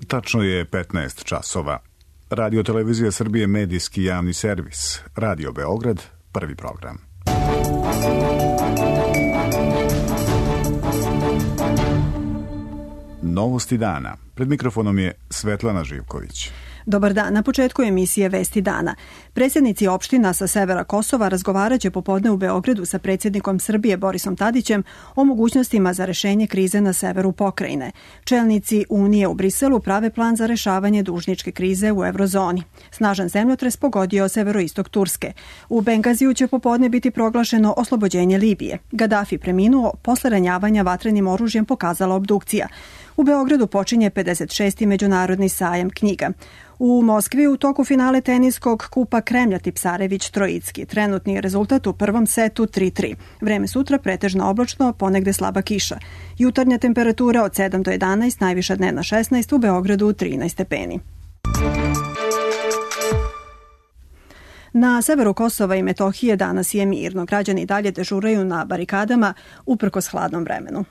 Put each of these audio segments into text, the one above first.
Tačno je 15 časova. Radio Televizija Srbije medijski javni servis. Radio Beograd, prvi program. Novosti dana. Pred mikrofonom je Svetlana Živković. Dobar dan. Na početku emisije Vesti dana. Predsjednici opština sa severa Kosova razgovaraće popodne u Beogradu sa predsjednikom Srbije Borisom Tadićem o mogućnostima za rešenje krize na severu pokrajine. Čelnici Unije u Briselu prave plan za rešavanje dužničke krize u eurozoni. Snažan zemljotres pogodio severoistok Turske. U Bengaziju će popodne biti proglašeno oslobođenje Libije. Gaddafi preminuo posle ranjavanja vatrenim oružjem, pokazala obdukcija. U Beogradu počinje 56. međunarodni sajam knjiga. U Moskvi u toku finale teniskog kupa Kremlja Tipsarević Trojicki. Trenutni rezultat u prvom setu 3-3. Vreme sutra pretežno oblačno, ponegde slaba kiša. Jutarnja temperatura od 7 do 11, najviša dnevna 16, u Beogradu 13 stepeni. Na severu Kosova i Metohije danas je mirno. Građani dalje dežuraju na barikadama uprkos hladnom vremenu.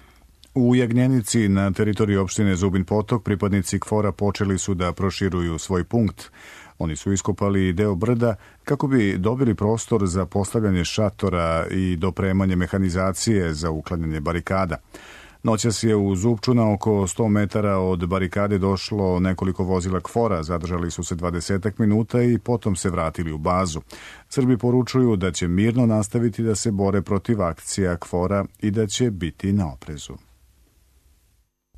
U Jagnjenici na teritoriji opštine Zubin Potok pripadnici KFOR-a počeli su da proširuju svoj punkt. Oni su iskopali deo brda kako bi dobili prostor za postavljanje šatora i dopremanje mehanizacije za uklanjanje barikada. Noćas je u Zupču na oko 100 metara od barikade došlo nekoliko vozila KFOR-a, zadržali su se 20 minuta i potom se vratili u bazu. Srbi poručuju da će mirno nastaviti da se bore protiv akcija KFOR-a i da će biti na oprezu.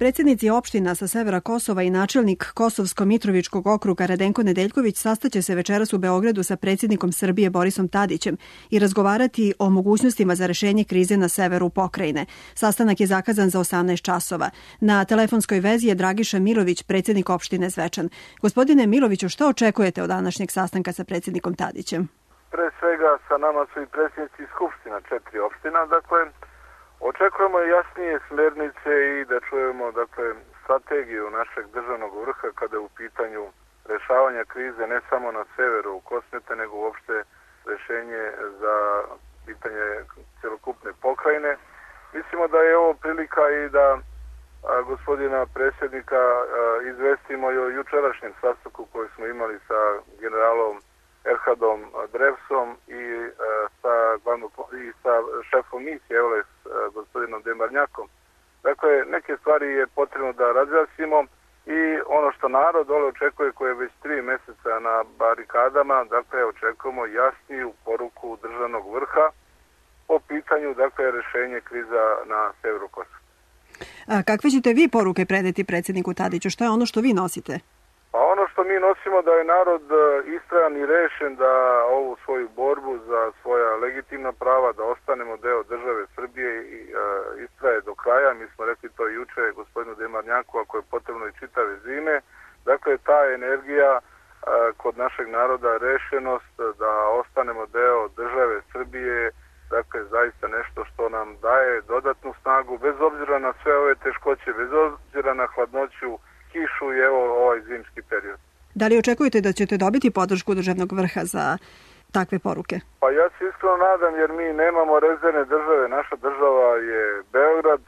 Predsjednici opština sa severa Kosova i načelnik Kosovsko-Mitrovičkog okruga Radenko Nedeljković sastaće se večeras u Beogradu sa predsjednikom Srbije Borisom Tadićem i razgovarati o mogućnostima za rešenje krize na severu pokrajine. Sastanak je zakazan za 18 časova. Na telefonskoj vezi je Dragiša Milović, predsjednik opštine Zvečan. Gospodine Miloviću, što očekujete od današnjeg sastanka sa predsjednikom Tadićem? Pre svega sa nama su i predsjednici skupština 4 opština, očekujemo jasnije smernice i da čujemo strategiju našeg državnog vrha kada je u pitanju rešavanja krize ne samo na severu u Kosmete, nego uopšte rešenje za pitanje celokupne pokrajine. Mislimo da je ovo prilika i da gospodina predsjednika izvestimo i o jučerašnjem sastanku koji smo imali sa generalom Erhadom Drevsom i sa šefom misije EULEX gospodinom Demarnjakom. Dakle, neke stvari je potrebno da razjasnimo i ono što narod dole očekuje, koje je već 3 meseca na barikadama, očekujemo jasniju poruku državnog vrha po pitanju, rešenje kriza na severu Kosova. A kakve ćete vi poruke predati predsjedniku Tadiću? Što je ono što vi nosite? Pa ono što mi nosimo da je narod istrajan i rešen da ovu svoju borbu za svoja legitimna prava, da ostanemo deo države Srbije i istraje do kraja. Mi smo rekli to juče gospodinu Demarnjaku, ako je potrebno i čitave zime. Dakle, ta energija kod našeg naroda, rešenost da ostanemo deo države Srbije, zaista nešto što nam daje dodatnu snagu, bez obzira na sve ove teškoće, bez obzira na hladnoću, kišu i ovaj zimski period. Da li očekujete da ćete dobiti podršku državnog vrha za takve poruke? Pa ja se iskreno nadam, jer mi nemamo rezervne države. Naša država je Beograd,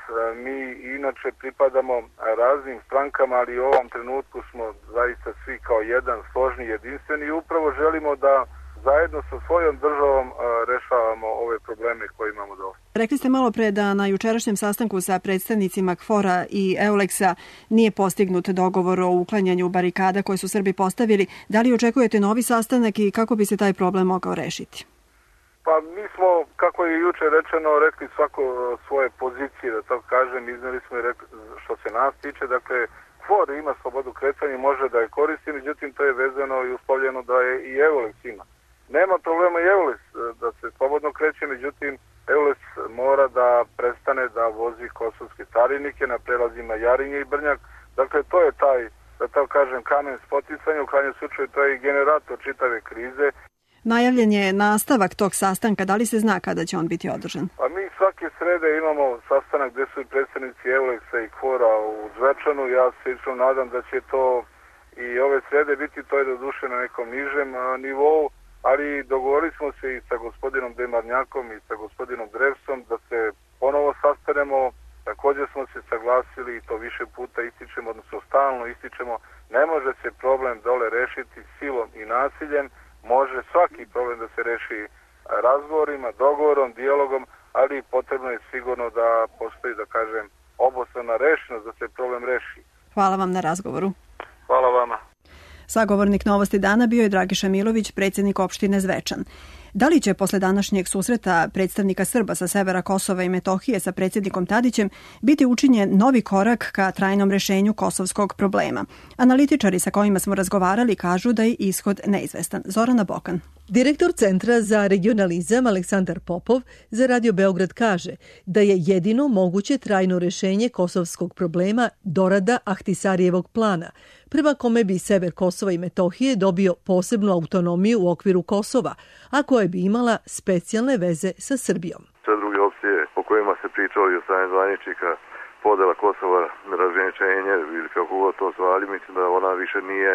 mi inače pripadamo raznim strankama, ali u ovom trenutku smo zaista svi kao jedan, složni, jedinstveni i upravo želimo da zajedno sa svojom državom rešavamo ove probleme koje imamo dole. Rekli ste malo pre da na jučerašnjem sastanku sa predstavnicima KFOR-a i EULEX-a nije postignut dogovor o uklanjanju barikada koje su Srbi postavili. Da li očekujete novi sastanak i kako bi se taj problem mogao rešiti? Pa mi smo, kako je juče rečeno, rekli svako svoje pozicije, da tako kažem, izneli smo i rekli što se nas tiče, KFOR ima slobodu kretanja, može da je koristi, međutim to je vezano i uslovljeno da je i EULEX ima. Nema problema i EULEX da se slobodno kreće, međutim EULEX mora da prestane da vozi kosovske carinike na prelazima Jarinje i Brnjak. Dakle, to je taj, da tako kažem, kamen spoticanja, u krajnjem slučaju to je i generator čitave krize. Najavljen je nastavak tog sastanka, da li se zna kada će on biti održan? Pa mi svake srede imamo sastanak gde su i predstavnici EULEX-a i KFOR-a u Zvečanu. Ja se iskreno nadam da će to i ove srede biti, to je doduše na nekom nižem nivou, ali dogovorili smo se i sa gospodinom Demarnjakom i sa gospodinom Drevsom da se ponovo sastanemo, da također smo se saglasili i to više puta ističemo, odnosno stalno ističemo, ne može se problem dole rešiti silom i nasiljem, može svaki problem da se reši razgovorima, dogovorom, dijalogom, ali potrebno je sigurno da postoji, da kažem, obostrana rešenost da se problem reši. Hvala vam na razgovoru. Hvala vama. Sagovornik Novosti dana bio je Dragiša Milović, predsjednik opštine Zvečan. Da li će posle današnjeg susreta predstavnika Srba sa severa Kosova i Metohije sa predsjednikom Tadićem biti učinjen novi korak ka trajnom rešenju kosovskog problema? Analitičari sa kojima smo razgovarali kažu da je ishod neizvestan. Zorana Bokan. Direktor Centra za regionalizam Aleksandar Popov za Radio Beograd kaže da je jedino moguće trajno rešenje kosovskog problema dorada Ahtisarijevog plana, prema kome bi sever Kosova i Metohije dobio posebnu autonomiju u okviru Kosova, a koja bi imala specijalne veze sa Srbijom. Sve druge opcije o kojima se pričali od strane zvaničnika, podela Kosova, razgraničenje ili kako god to zvali, mislim da ona više nije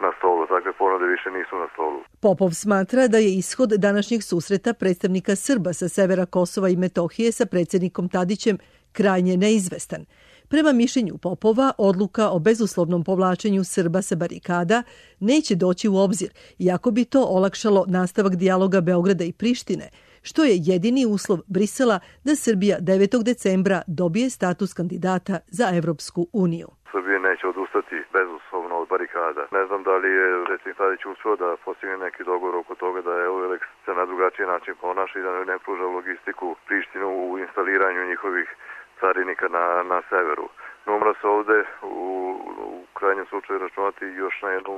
na stolu. Takve ponude više nisu na stolu. Popov smatra da je ishod današnjeg susreta predstavnika Srba sa severa Kosova i Metohije sa predsjednikom Tadićem krajnje neizvestan. Prema mišljenju Popova, odluka o bezuslovnom povlačenju Srba sa barikada neće doći u obzir, iako bi to olakšalo nastavak dijaloga Beograda i Prištine, što je jedini uslov Brisela da Srbija 9. decembra dobije status kandidata za Evropsku uniju. Srbija neće odustati bezuslovno od barikada. Ne znam da li je predsjednik Tadić uspio da postigne neki dogovor oko toga da EULEX se na drugačiji način ponaša i da ne pruža logistiku Prištinu u instaliranju njihovih carinika na severu. No, mora se ovde u krajnjem slučaju računati još na jednu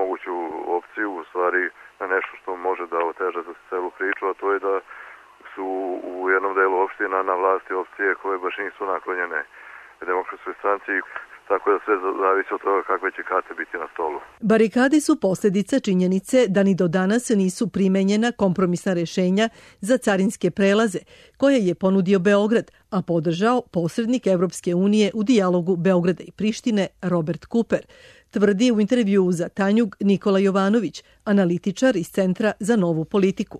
moguću opciju, u stvari na nešto što može da oteža za celu priču, a to je da su u jednom delu opština na vlasti opcije koje baš nisu naklonjene Demokratskoj stranci, tako da sve zavisi od toga kakve će karte biti na stolu. Barikade su posljedica činjenice da ni do danas nisu primenjena kompromisna rešenja za carinske prelaze, koje je ponudio Beograd, a podržao posrednik Evropske unije u dijalogu Beograda i Prištine Robert Cooper, tvrdi u intervjuu za Tanjug Nikola Jovanović, analitičar iz Centra za novu politiku.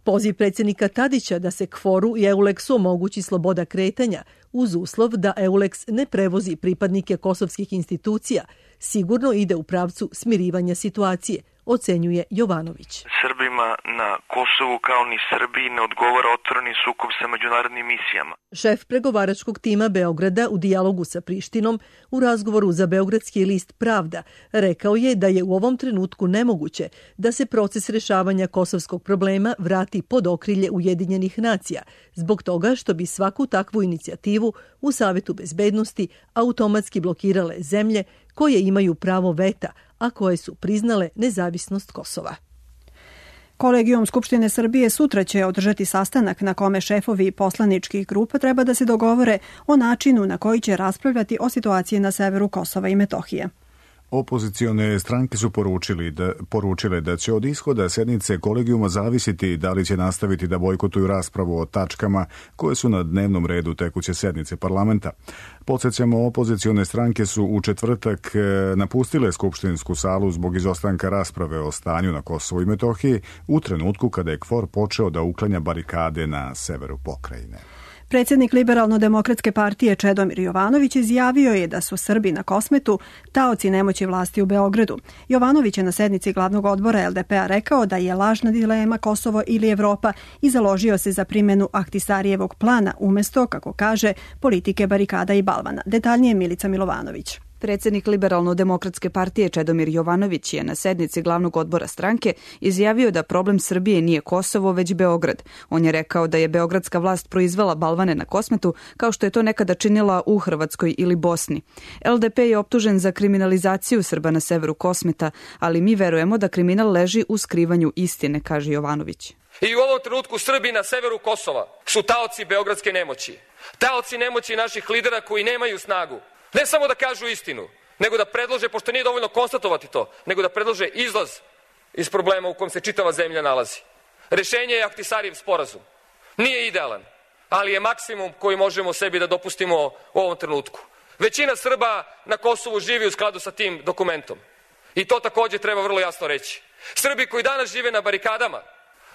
Poziv predsjednika Tadića da se KFOR-u i EULEX-u omogući sloboda kretanja uz uslov da EULEX ne prevozi pripadnike kosovskih institucija sigurno ide u pravcu smirivanja situacije, ocenjuje Jovanović. Srbima na Kosovu kao ni Srbiji ne odgovara otvoreni sukob sa međunarodnim misijama. Šef pregovaračkog tima Beograda u dijalogu sa Prištinom u razgovoru za beogradski list Pravda rekao je da je u ovom trenutku nemoguće da se proces rešavanja kosovskog problema vrati pod okrilje Ujedinjenih nacija, zbog toga što bi svaku takvu inicijativu u Savetu bezbednosti automatski blokirale zemlje koje imaju pravo veta, a koje su priznale nezavisnost Kosova. Kolegijum Skupštine Srbije sutra će održati sastanak na kome šefovi poslaničkih grupa treba da se dogovore o načinu na koji će raspravljati o situaciji na severu Kosova i Metohije. Opozicione stranke su poručile da će od ishoda sednice kolegijuma zavisiti da li će nastaviti da bojkotuju raspravu o tačkama koje su na dnevnom redu tekuće sednice parlamenta. Podsjećamo, opozicione stranke su u četvrtak napustile skupštinsku salu zbog izostanka rasprave o stanju na Kosovu i Metohiji u trenutku kada je KFOR počeo da uklanja barikade na severu pokrajine. Predsjednik Liberalno-demokratske partije Čedomir Jovanović izjavio je da su Srbi na Kosmetu taoci nemoći vlasti u Beogradu. Jovanović je na sednici glavnog odbora LDP-a rekao da je lažna dilema Kosovo ili Evropa i založio se za primjenu Ahtisarijevog plana umjesto, kako kaže, politike barikada i balvana. Detaljnije Milica Milovanović. Predsjednik Liberalno-demokratske partije Čedomir Jovanović je na sednici glavnog odbora stranke izjavio da problem Srbije nije Kosovo, već Beograd. On je rekao da je beogradska vlast proizvela balvane na Kosmetu, kao što je to nekada činila u Hrvatskoj ili Bosni. LDP je optužen za kriminalizaciju Srba na severu Kosmeta, ali mi verujemo da kriminal leži u skrivanju istine, kaže Jovanović. I u ovom trenutku Srbi na severu Kosova su taoci beogradske nemoći. Taoci nemoći naših lidera koji nemaju snagu. Ne samo da kažu istinu, nego da predlože, pošto nije dovoljno konstatovati to, nego da predlože izlaz iz problema u kojem se čitava zemlja nalazi. Rešenje je Ahtisarijev sporazum. Nije idealan, ali je maksimum koji možemo sebi da dopustimo u ovom trenutku. Većina Srba na Kosovu živi u skladu sa tim dokumentom. I to također treba vrlo jasno reći. Srbi koji danas žive na barikadama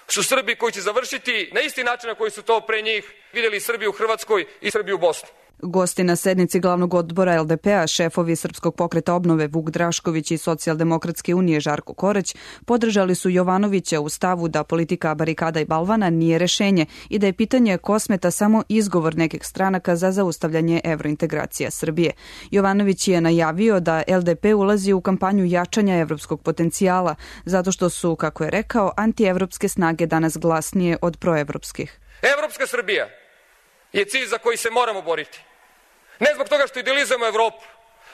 su Srbi koji će završiti na isti način na koji su to pre njih vidjeli Srbiju u Hrvatskoj i Srbiju u Bosni. Gosti na sednici glavnog odbora LDP-a, šefovi Srpskog pokreta obnove Vuk Drašković i Socijaldemokratske unije Žarko Korać, podržali su Jovanovića u stavu da politika barikada i balvana nije rešenje i da je pitanje Kosmeta samo izgovor nekih stranaka za zaustavljanje evrointegracija Srbije. Jovanović je najavio da LDP ulazi u kampanju jačanja evropskog potencijala, zato što su, kako je rekao, antievropske snage danas glasnije od proevropskih. Evropska Srbija je cilj za koji se moramo boriti. Ne zbog toga što idealizujemo Evropu,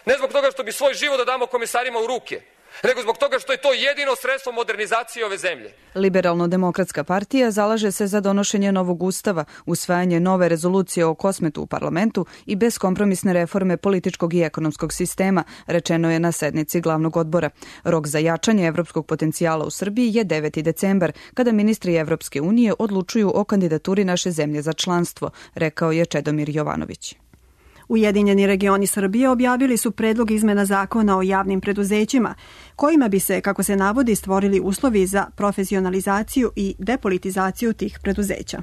ne zbog toga što bi svoj život da damo komisarima u ruke, nego zbog toga što je to jedino sredstvo modernizacije ove zemlje. Liberalno-demokratska partija zalaže se za donošenje novog ustava, usvajanje nove rezolucije o Kosmetu u parlamentu i beskompromisne reforme političkog i ekonomskog sistema, rečeno je na sednici glavnog odbora. Rok za jačanje evropskog potencijala u Srbiji je 9. decembar, kada ministri Evropske unije odlučuju o kandidaturi naše zemlje za članstvo, rekao je Čedomir Jovanović. Ujedinjeni regioni Srbije objavili su predlog izmena zakona o javnim preduzećima, kojima bi se, kako se navodi, stvorili uslovi za profesionalizaciju i depolitizaciju tih preduzeća.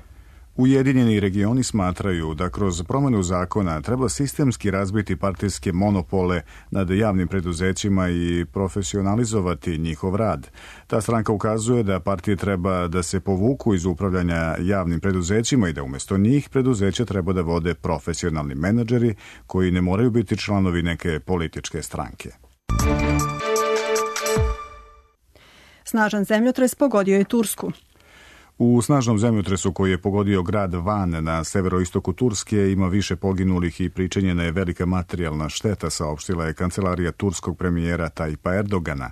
Ujedinjeni regioni smatraju da kroz promjenu zakona treba sistemski razbiti partijske monopole nad javnim preduzećima i profesionalizovati njihov rad. Ta stranka ukazuje da partije treba da se povuku iz upravljanja javnim preduzećima i da umjesto njih preduzeća treba da vode profesionalni menadžeri koji ne moraju biti članovi neke političke stranke. Snažan zemljotres pogodio je Tursku. U snažnom zemljotresu koji je pogodio grad Van na severoistoku Turske ima više poginulih i pričinjena je velika materijalna šteta, saopštila je kancelarija turskog premijera Tajpa Erdogana.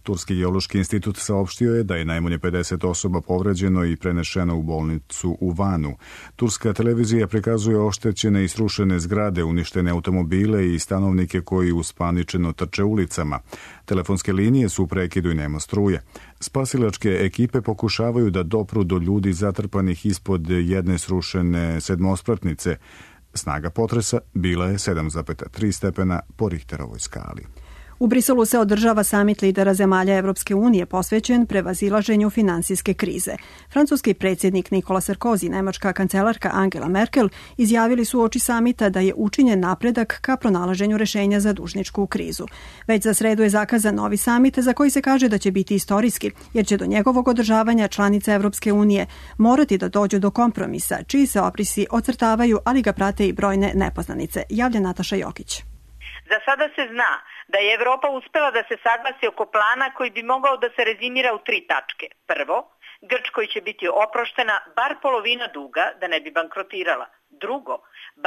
Turski geološki institut saopštio je da je najmanje 50 osoba povređeno i prenešeno u bolnicu u Vanu. Turska televizija prikazuje oštećene i srušene zgrade, uništene automobile i stanovnike koji uspaničeno trče ulicama. Telefonske linije su u prekidu i nema struje. Spasilačke ekipe pokušavaju da dopru do ljudi zatrpanih ispod jedne srušene sedmospratnice. Snaga potresa bila je 7,3 stepena po Richterovoj skali. U Briselu se održava samit lidera zemalja Evropske unije posvećen prevazilaženju finansijske krize. Francuski predsjednik Nikola Sarkozy i nemačka kancelarka Angela Merkel izjavili su uoči samita da je učinjen napredak ka pronalaženju rešenja za dužničku krizu. Već za sredu je zakazan novi samit za koji se kaže da će biti istorijski, jer će do njegovog održavanja članice Evropske unije morati da dođu do kompromisa, čiji se obrisi ocrtavaju, ali ga prate i brojne nepoznanice. Javlja Nataša Jokić. Za sada se zna da je Evropa uspela da se saglasi oko plana koji bi mogao da se rezimira u 3 tačke. Prvo, Grčkoj će biti oproštena bar polovina duga da ne bi bankrotirala. Drugo,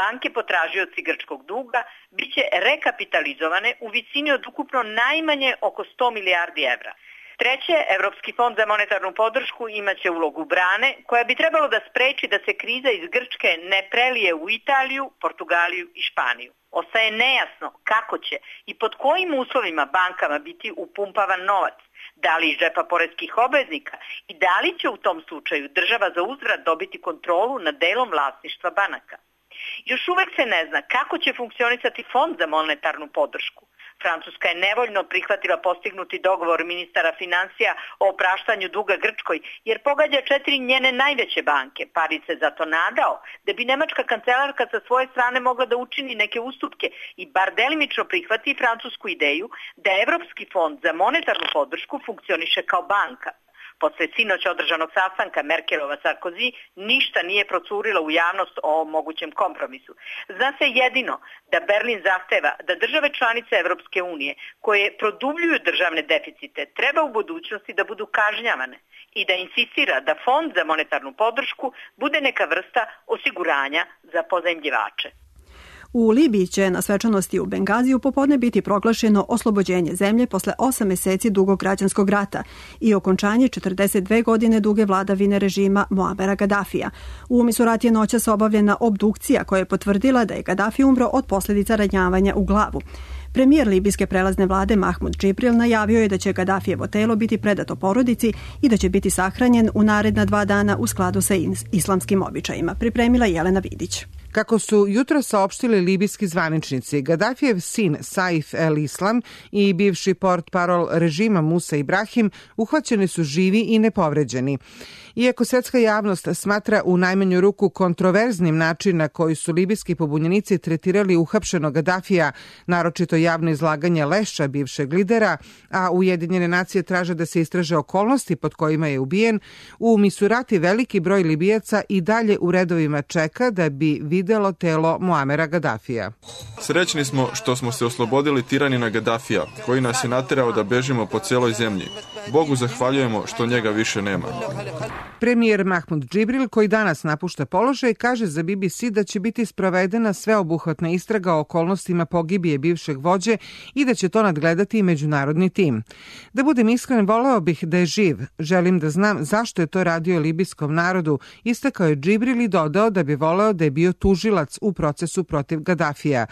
banke potražioci grčkog duga biće rekapitalizovane u visini od ukupno najmanje oko 100 milijardi evra. Treće, Evropski fond za monetarnu podršku imaće ulogu brane koja bi trebalo da spreči da se kriza iz Grčke ne prelije u Italiju, Portugaliju i Španiju. Ostaje nejasno kako će i pod kojim uslovima bankama biti upumpavan novac, da li iz džepa poreskih obveznika i da li će u tom slučaju država za uzvrat dobiti kontrolu nad delom vlasništva banaka. Još uvek se ne zna kako će funkcionisati fond za monetarnu podršku. Francuska je nevoljno prihvatila postignuti dogovor ministara finansija o opraštanju duga Grčkoj, jer pogađa 4 njene najveće banke. Paris se zato nadao da bi nemačka kancelarka sa svoje strane mogla da učini neke ustupke i bar delimično prihvati francusku ideju da Evropski fond za monetarnu podršku funkcioniše kao banka. Posle sinoć održanog sastanka Merkelova-Sarkozy ništa nije procurilo u javnost o mogućem kompromisu. Zna se jedino da Berlin zahteva da države članice Evropske unije koje produbljuju državne deficite treba u budućnosti da budu kažnjavane i da insistira da fond za monetarnu podršku bude neka vrsta osiguranja za pozajmljivače. U Libiji će na svečanosti u Bengaziju popodne biti proglašeno oslobođenje zemlje posle 8 meseci dugog građanskog rata i okončanje 42 godine duge vladavine režima Muamera Gadafija. U Misurati je noćas obavljena obdukcija koja je potvrdila da je Gadafi umro od posljedica ranjavanja u glavu. Premijer libijske prelazne vlade Mahmud Džibril najavio je da će Gadafijevo telo biti predato porodici i da će biti sahranjen u naredna 2 dana u skladu sa islamskim običajima. Pripremila Jelena Vidić. Kako su jutro saopštili libijski zvaničnici, Gadafijev sin Saif el-Islam i bivši portparol režima Musa Ibrahim uhvaćeni su živi i nepovređeni. Iako svetska javnost smatra u najmanju ruku kontroverznim način na koji su libijski pobunjenici tretirali uhapšenog Gadafija, naročito javno izlaganje lešća bivšeg lidera, a Ujedinjene nacije traže da se istraže okolnosti pod kojima je ubijen, u Misurati veliki broj Libijaca i dalje u redovima čeka da bi videlo telo Muamera Gadafija. Srećni smo što smo se oslobodili tiranina Gadafija, koji nas je naterao da bežimo po celoj zemlji. Bogu zahvaljujemo što njega više nema. Premijer Mahmud Džibril, koji danas napušta položaj, kaže za BBC da će biti sprovedena sveobuhvatna istraga o okolnostima pogibije bivšeg vođe i da će to nadgledati i međunarodni tim. Da budem iskren, voleo bih da je živ. Želim da znam zašto je to radio libijskom narodu, istakao je Džibril i dodao da bi voleo da je bio tužilac u procesu protiv Gadafija.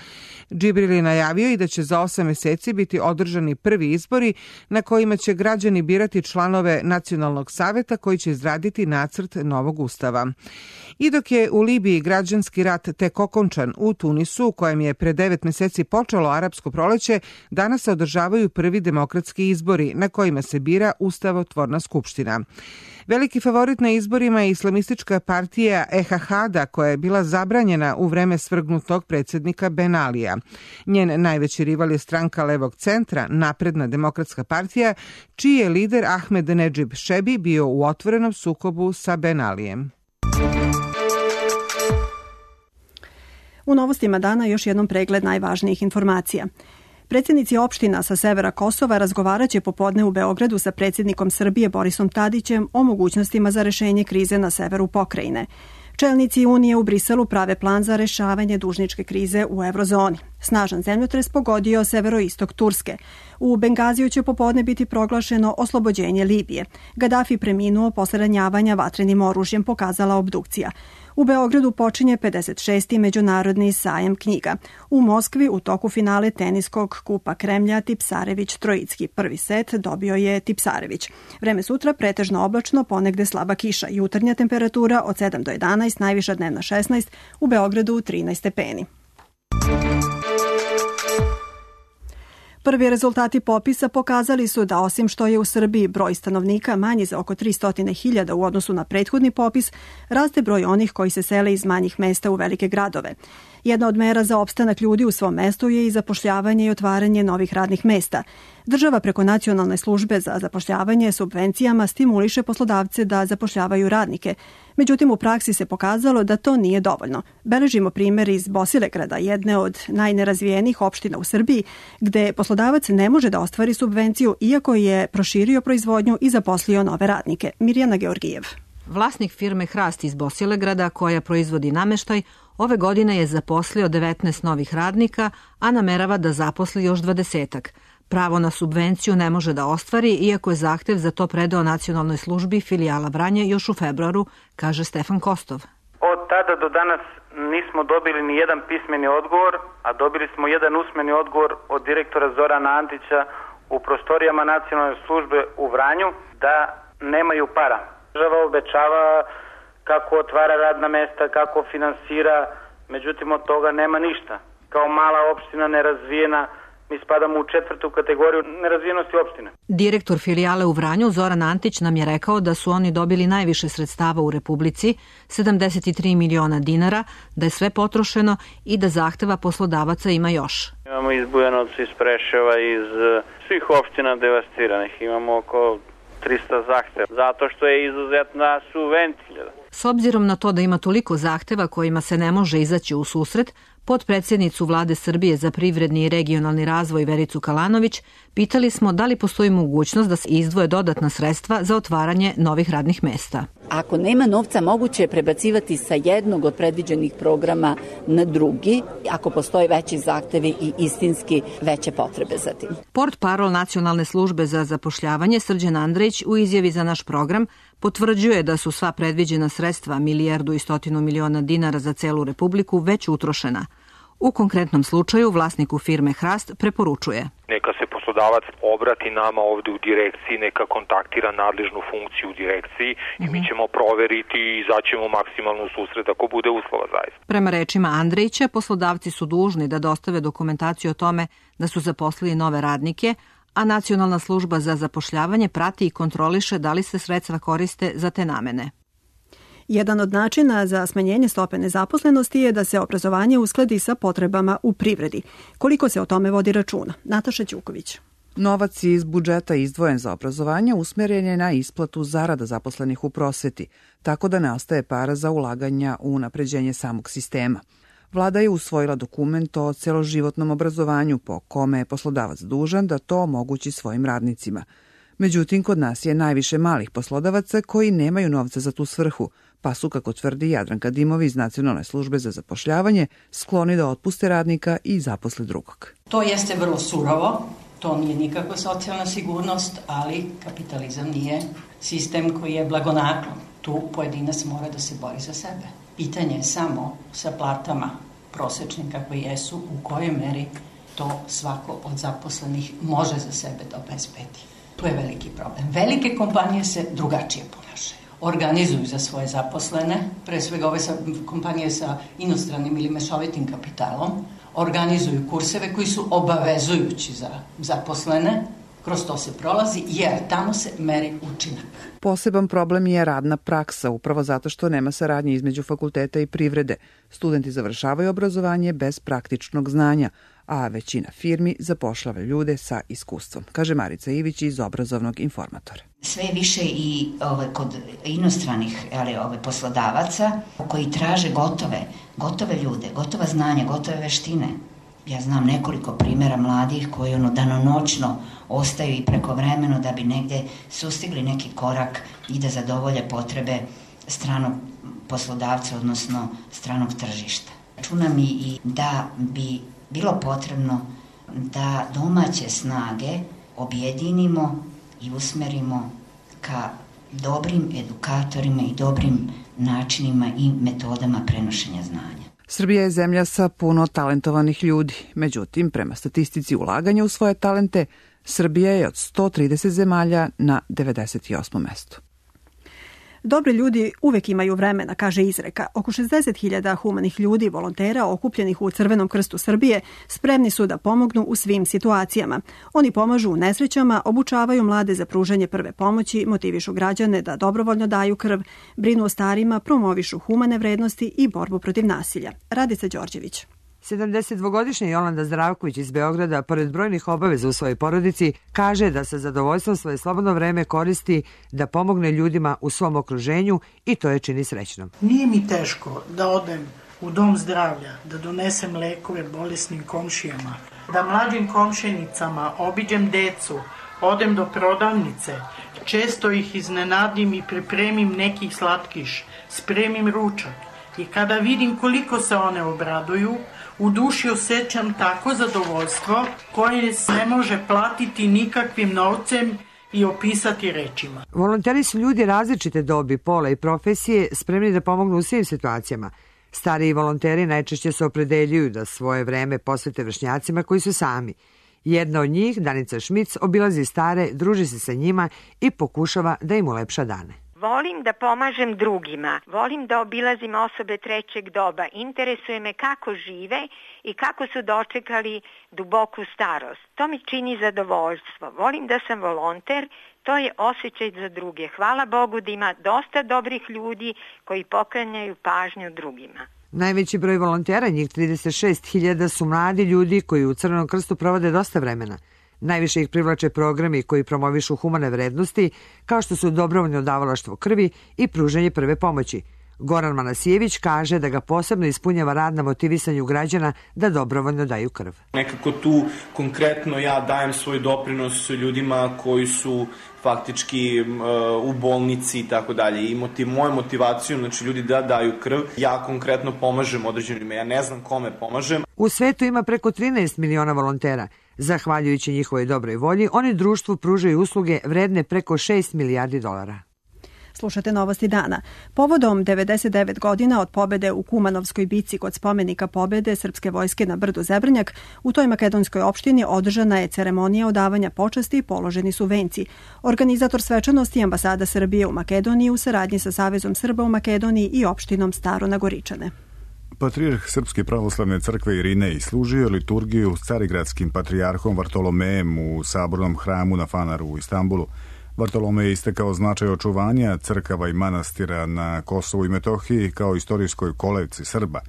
Džibril je najavio i da će za 8 meseci biti održani prvi izbori na kojima će građani birati članove Nacionalnog saveta koji će izraditi nacrt novog ustava. I dok je u Libiji građanski rat tek okončan, u Tunisu, u kojem je pre 9 meseci počelo arapsko proleće, danas se održavaju prvi demokratski izbori na kojima se bira ustavotvorna skupština. Veliki favorit na izborima je islamistička partija Ehahada, koja je bila zabranjena u vreme svrgnutog predsjednika Ben Alija. Njen najveći rival je stranka levog centra, Napredna demokratska partija, čiji je lider Ahmed Nedžib Šebi bio u otvorenom sukobu sa Ben Alijem. U novostima dana još jednom pregled najvažnijih informacija. Predsjednici opština sa severa Kosova razgovaraće popodne u Beogradu sa predsjednikom Srbije Borisom Tadićem o mogućnostima za rešenje krize na severu pokrajine. Čelnici Unije u Briselu prave plan za rešavanje dužničke krize u eurozoni. Snažan zemljotres pogodio severoistok Turske. U Bengaziju će popodne biti proglašeno oslobođenje Libije. Gadafi preminuo posle ranjavanja vatrenim oružjem, pokazala obdukcija. U Beogradu počinje 56. međunarodni sajam knjiga. U Moskvi u toku finale teniskog kupa Kremlja Tipsarević-Trojicki. Prvi set dobio je Tipsarević. Vreme sutra pretežno oblačno, ponegde slaba kiša. Jutarnja temperatura od 7 do 11, najviša dnevna 16, u Beogradu 13 stepeni. Prvi rezultati popisa pokazali su da osim što je u Srbiji broj stanovnika manji za oko 300.000 u odnosu na prethodni popis, raste broj onih koji se sele iz manjih mesta u velike gradove. Jedna od mera za opstanak ljudi u svom mestu je i zapošljavanje i otvaranje novih radnih mesta. Država preko Nacionalne službe za zapošljavanje subvencijama stimuliše poslodavce da zapošljavaju radnike. Međutim, u praksi se pokazalo da to nije dovoljno. Beležimo primjer iz Bosilegrada, jedne od najnerazvijenijih opština u Srbiji, gde poslodavac ne može da ostvari subvenciju iako je proširio proizvodnju i zaposlio nove radnike. Mirjana Georgijev. Vlasnik firme Hrast iz Bosilegrada, koja proizvodi nameštaj, ove godine je zaposlio 19 novih radnika, a namerava da zaposli još 20-ak. Pravo na subvenciju ne može da ostvari, iako je zahtev za to predao Nacionalnoj službi filijala Vranje još u februaru, kaže Stefan Kostov. Od tada do danas nismo dobili ni jedan pismeni odgovor, a dobili smo jedan usmeni odgovor od direktora Zorana Antića u prostorijama Nacionalne službe u Vranju da nemaju para. Država obećava kako otvara radna mesta, kako finansira, međutim od toga nema ništa. Kao mala opština nerazvijena, mi spadamo u 4. kategoriju nerazvijenosti opštine. Direktor filijale u Vranju Zoran Antić nam je rekao da su oni dobili najviše sredstava u Republici, 73 miliona dinara, da je sve potrošeno i da zahteva poslodavaca ima još. Imamo iz Bujanovca, iz Preševa, iz svih opština devastiranih. Imamo oko 300 zahteva, zato što je izuzetna subvencija. S obzirom na to da ima toliko zahteva kojima se ne može izaći u susret, potpredsjednicu Vlade Srbije za privredni i regionalni razvoj Vericu Kalanović pitali smo da li postoji mogućnost da se izdvoje dodatna sredstva za otvaranje novih radnih mesta. Ako nema novca, moguće je prebacivati sa jednog od predviđenih programa na drugi, ako postoje veći zahtevi i istinski veće potrebe za tim. Portparol Nacionalne službe za zapošljavanje Srđan Andrejić u izjavi za naš program potvrđuje da su sva predviđena sredstva 1,1 milijarda dinara za celu Republiku već utrošena. U konkretnom slučaju vlasniku firme Hrast preporučuje. Neka se poslodavac poslodavac obrati nama ovde u direkciji, neka kontaktira nadležnu funkciju u direkciji i mi ćemo proveriti i izaćemo maksimalno u susret ako bude uslova zaista. Prema rečima Andrejića, poslodavci su dužni da dostave dokumentaciju o tome da su zaposlili nove radnike, a Nacionalna služba za zapošljavanje prati i kontroliše da li se sredstva koriste za te namene. Jedan od načina za smanjenje stope nezaposlenosti je da se obrazovanje uskladi sa potrebama u privredi. Koliko se o tome vodi računa? Nataša Ćuković. Novac iz budžeta izdvojen za obrazovanje usmjeren je na isplatu zarada zaposlenih u prosveti, tako da ne ostaje para za ulaganja u unapređenje samog sistema. Vlada je usvojila dokument o celoživotnom obrazovanju po kome je poslodavac dužan da to omogući svojim radnicima. Međutim, kod nas je najviše malih poslodavaca koji nemaju novca za tu svrhu, pa su, kako tvrdi Jadranka Dimovi iz Nacionalne službe za zapošljavanje, skloni da otpuste radnika i zaposle drugog. To jeste vrlo surovo, to nije nikakva socijalna sigurnost, ali kapitalizam nije sistem koji je blagonaklon. Tu pojedinac mora da se bori za sebe. Pitanje je samo sa platama prosečnim kakve jesu, u kojoj meri to svako od zaposlenih može za sebe da obezbedi. Tu je veliki problem. Velike kompanije se drugačije ponašaju. Organizuju za svoje zaposlene, pre svega ove kompanije sa inostranim ili mešovitim kapitalom, organizuju kurseve koji su obavezujući za zaposlene, kroz to se prolazi jer tamo se meri učinak. Poseban problem je radna praksa, upravo zato što nema saradnje između fakulteta i privrede. Studenti završavaju obrazovanje bez praktičnog znanja, a većina firmi zapošljava ljude sa iskustvom, kaže Marica Ivić iz Obrazovnog informatora. Sve više i kod inostranih poslodavaca koji traže gotove ljude, gotova znanja, gotove veštine. Ja znam nekoliko primjera mladih koji danonoćno ostaju i prekovremeno da bi negdje sustigli neki korak i da zadovolje potrebe stranog poslodavca, odnosno stranog tržišta. Računam i da bi bilo potrebno da domaće snage objedinimo i usmerimo ka dobrim edukatorima i dobrim načinima i metodama prenošenja znanja. Srbija je zemlja sa puno talentovanih ljudi. Međutim, prema statistici ulaganja u svoje talente, Srbija je od 130 zemalja na 98. mestu. Dobri ljudi uvek imaju vremena, kaže izreka. Oko 60.000 humanih ljudi, volontera okupljenih u Crvenom krstu Srbije, spremni su da pomognu u svim situacijama. Oni pomažu u nesrećama, obučavaju mlade za pružanje prve pomoći, motivišu građane da dobrovoljno daju krv, brinu o starima, promovišu humane vrednosti i borbu protiv nasilja. Radica Đorđević. 72-godišnja Jolanda Zdravković iz Beograda, pored brojnih obaveza u svojoj porodici, kaže da sa zadovoljstvom svoje slobodno vreme koristi da pomogne ljudima u svom okruženju i to je čini srećnom. Nije mi teško da odem u dom zdravlja, da donesem lekove bolesnim komšijama, da mlađim komšenicama obiđem decu, odem do prodavnice, često ih iznenadim i pripremim nekih slatkiš, spremim ručak i kada vidim koliko se one obraduju, u duši osjećam tako zadovoljstvo koje se ne može platiti nikakvim novcem i opisati rečima. Volonteri su ljudi različite dobi, pola i profesije, spremni da pomognu u svim situacijama. Stariji volonteri najčešće se opredeljuju da svoje vreme posvete vršnjacima koji su sami. Jedna od njih, Danica Šmic, obilazi stare, druži se sa njima i pokušava da im ulepša dane. Volim da pomažem drugima, volim da obilazim osobe trećeg doba, interesuje me kako žive i kako su dočekali duboku starost. To mi čini zadovoljstvo. Volim da sam volonter, to je osjećaj za druge. Hvala Bogu da ima dosta dobrih ljudi koji poklanjaju pažnju drugima. Najveći broj volontera, njih 36.000, su mladi ljudi koji u Crvenom krstu provode dosta vremena. Najviše ih privlače programi koji promovišu humane vrednosti, kao što su dobrovoljno davalaštvo krvi i pružanje prve pomoći. Goran Manasijević kaže da ga posebno ispunjava rad na motivisanju građana da dobrovoljno daju krv. Nekako tu konkretno ja dajem svoj doprinos ljudima koji su faktički u bolnici i tako dalje. I moju motivaciju, znači ljudi da daju krv, ja konkretno pomažem određenima. Ja ne znam kome pomažem. U svetu ima preko 13 miliona volontera. Zahvaljujući njihovoj dobroj volji, oni društvu pružaju usluge vredne preko $6 milijardi. Slušate Novosti dana. Povodom 99 godina od pobede u Kumanovskoj bici kod spomenika pobede srpske vojske na brdu Zebrnjak, u toj makedonskoj opštini održana je ceremonija odavanja počasti i položeni su venci. Organizator svečanosti je Ambasada Srbije u Makedoniji u saradnji sa Savezom Srba u Makedoniji i opštinom Staro na Goričane. Patrijarh Srpske pravoslavne crkve Irinej služio liturgiju s carigradskim patrijarhom Vartolomejem u sabornom hramu na Fanaru u Istanbulu. Vartolomej je istakao značaj očuvanja crkava i manastira na Kosovu i Metohiji kao istorijskoj kolevci Srba.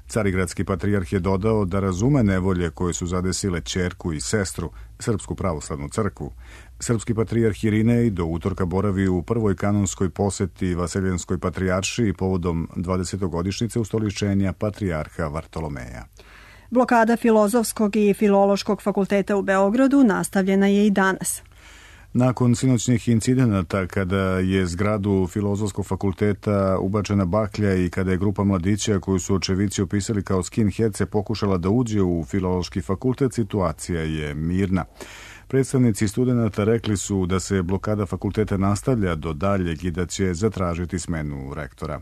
Carigradski patrijarh je dodao da razume nevolje koje su zadesile ćerku i sestru, Srpsku pravoslavnu crkvu. Srpski patrijarh Irinej do utorka boravi u prvoj kanonskoj poseti Vaseljenskoj patrijaršiji povodom 20. ustoličenja patrijarha Vartolomeja. Blokada Filozofskog i Filološkog fakulteta u Beogradu nastavljena je i danas. Nakon sinoćnih incidenata kada je zgradu Filozofskog fakulteta ubačena baklja i kada je grupa mladića koju su očevici opisali kao skinheadse pokušala da uđe u Filološki fakultet, situacija je mirna. Predstavnici studenata rekli su da se blokada fakulteta nastavlja do daljeg i da će zatražiti smenu rektora.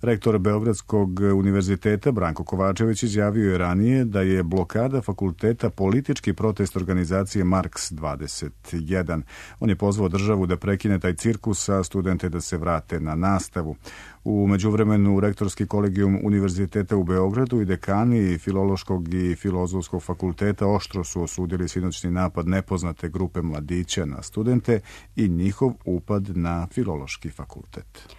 Rektor Beogradskog univerziteta Branko Kovačević izjavio je ranije da je blokada fakulteta politički protest organizacije Marks 21. On je pozvao državu da prekine taj cirkus, a studente da se vrate na nastavu. U međuvremenu rektorski kolegijum Univerziteta u Beogradu i dekani Filološkog i Filozofskog fakulteta oštro su osudili sinoćni napad nepoznate grupe mladića na studente i njihov upad na Filološki fakultet.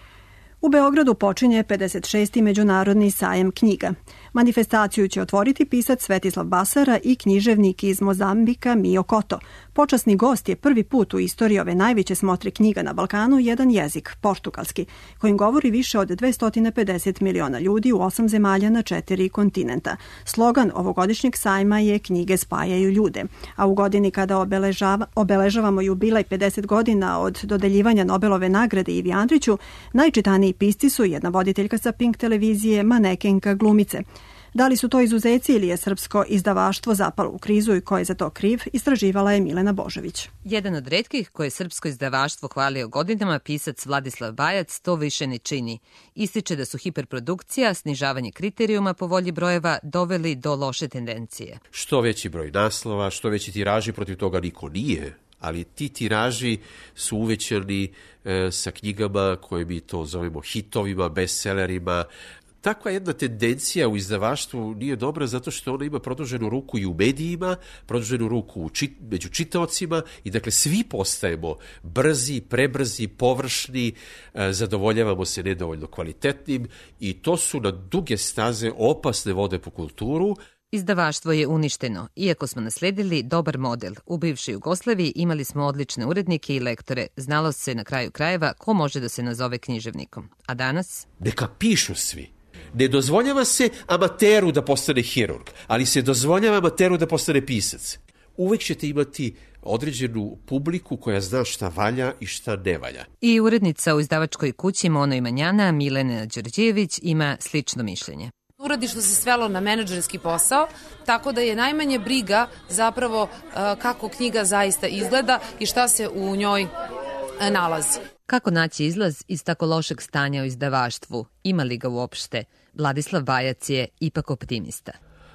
U Beogradu počinje 56. Međunarodni sajam knjiga. Manifestaciju će otvoriti pisac Svetislav Basara i književnik iz Mozambika Mio Koto. Počasni gost je prvi put u istoriji ove najveće smotre knjiga na Balkanu jedan jezik, portugalski, kojim govori više od 250 miliona ljudi u 8 zemalja na 4 kontinenta. Slogan ovogodišnjeg sajma je Knjige spajaju ljude, a u godini kada obeležavamo jubilej 50 godina od dodeljivanja Nobelove nagrade Ivi Andriću, najčitaniji pisci su jedna voditeljka sa Pink televizije, manekenka, glumice. Da li su to izuzeci ili je srpsko izdavaštvo zapalo u krizu i ko je za to kriv, istraživala je Milena Božović. Jedan od retkih koje srpsko izdavaštvo hvalio godinama, pisac Vladislav Bajac to više ne čini. Ističe da su hiperprodukcija, snižavanje kriterijuma po volji brojeva doveli do loše tendencije. Što veći broj naslova, što veći tiraži, protiv toga niko nije. Ali ti tiraži su uvećani sa knjigama koje mi to zovemo hitovima, bestsellerima. Takva jedna tendencija u izdavaštvu nije dobra zato što ona ima produženu ruku i u medijima, produženu ruku među čitaocima i dakle svi postajemo brzi, prebrzi, površni, zadovoljavamo se nedovoljno kvalitetnim i to su na duge staze opasne vode po kulturu. Izdavaštvo je uništeno. Iako smo nasledili dobar model, u bivšoj Jugoslaviji imali smo odlične urednike i lektore. Znalo se na kraju krajeva ko može da se nazove književnikom. A danas? Neka pišu svi. Ne dozvoljava se amateru da postane hirurg, ali se dozvoljava amateru da postane pisac. Uvek ćete imati određenu publiku koja zna šta valja i šta ne valja. I urednica u izdavačkoj kući Mono i Manjana, Milena Đorđević, ima slično mišljenje. Uredništvo se svelo na menadžerski posao, tako da je najmanje briga zapravo kako knjiga zaista izgleda i šta se u njoj nalazi. Kako naći izlaz iz tako lošeg stanja u izdavaštvu? Ima li ga uopšte? Vladislav Bajac je ipak optimista.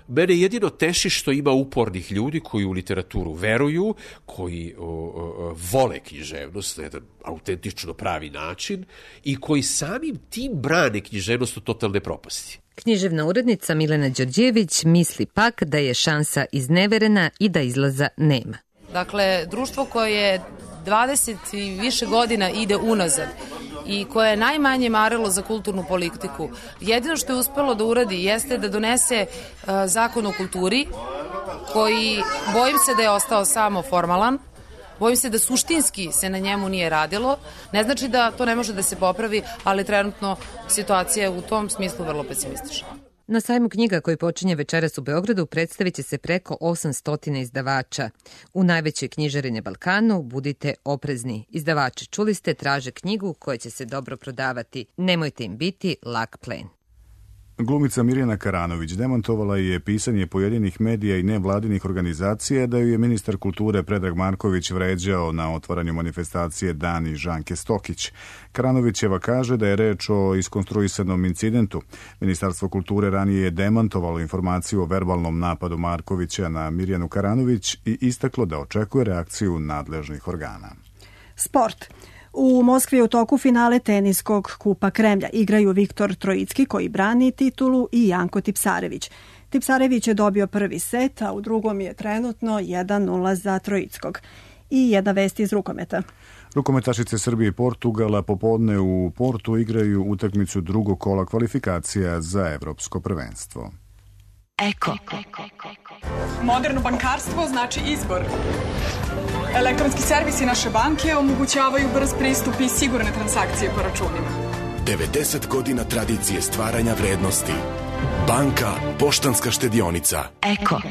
Mene jedino teši što ima upornih ljudi koji u literaturu veruju, koji vole književnost na jedan autentično pravi način i koji samim tim brane književnost od totalne propasti. Književna urednica Milena Đorđević misli pak da je šansa izneverena i da izlaza nema. Dakle, društvo koje 20 i više godina ide unazad i koje je najmanje marilo za kulturnu politiku, jedino što je uspelo da uradi jeste da donese zakon o kulturi, koji bojim se da je ostao samo formalan, bojim se da suštinski se na njemu nije radilo. Ne znači da to ne može da se popravi, ali trenutno situacija je u tom smislu vrlo pesimistična. Na sajmu knjiga koji počinje večeras u Beogradu predstavit će se preko 800 izdavača. U najvećoj knjižari na Balkanu budite oprezni. Izdavači, čuli ste, traže knjigu koja će se dobro prodavati. Nemojte im biti lak plen. Glumica Mirjana Karanović demantovala je pisanje pojedinih medija i nevladinih organizacija da ju je ministar kulture Predrag Marković vređao na otvaranju manifestacije Dani Žanke Stokić. Karanovićeva kaže da je reč o iskonstruisanom incidentu. Ministarstvo kulture ranije je demantovalo informaciju o verbalnom napadu Markovića na Mirjanu Karanović i istaklo da očekuje reakciju nadležnih organa. Sport. U Moskvi je u toku finale teniskog Kupa Kremlja. Igraju Viktor Trojicki koji brani titulu i Janko Tipsarević. Tipsarević je dobio prvi set, a u drugom je trenutno 1:0 za Trojickog. I jedna vest iz rukometa. Rukometašice Srbije i Portugala popodne u Portu igraju utakmicu drugog kola kvalifikacija za evropsko prvenstvo. Eko. Moderno bankarstvo znači izbor. Elektronski servisi naše banke omogućavaju brz pristup i sigurne transakcije po računima. 90 godina tradicije stvaranja vrednosti. Banka Poštanska štedionica. Eko.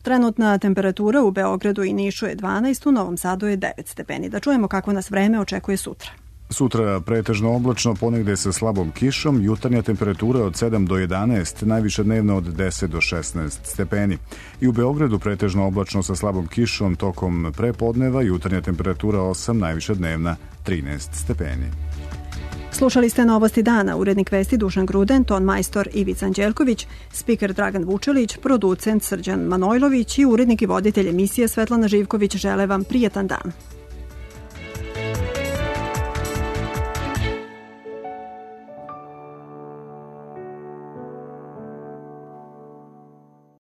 Trenutna temperatura u Beogradu i Nišu je 12, u Novom Sadu je 9 stepeni. Da čujemo kako nas vreme očekuje sutra. Sutra pretežno oblačno, ponegde sa slabom kišom, jutarnja temperatura od 7 do 11, najviša dnevna od 10 do 16 stepeni. I u Beogradu pretežno oblačno sa slabom kišom tokom prepodneva, jutarnja temperatura 8, najviša dnevna 13 stepeni. Slušali ste Novosti dana, urednik vesti Dušan Gruden, ton majstor Ivica Anđelković, spiker Dragan Vučelić, producent Srđan Manojlović i urednik i voditelj emisije Svetlana Živković žele vam prijetan dan.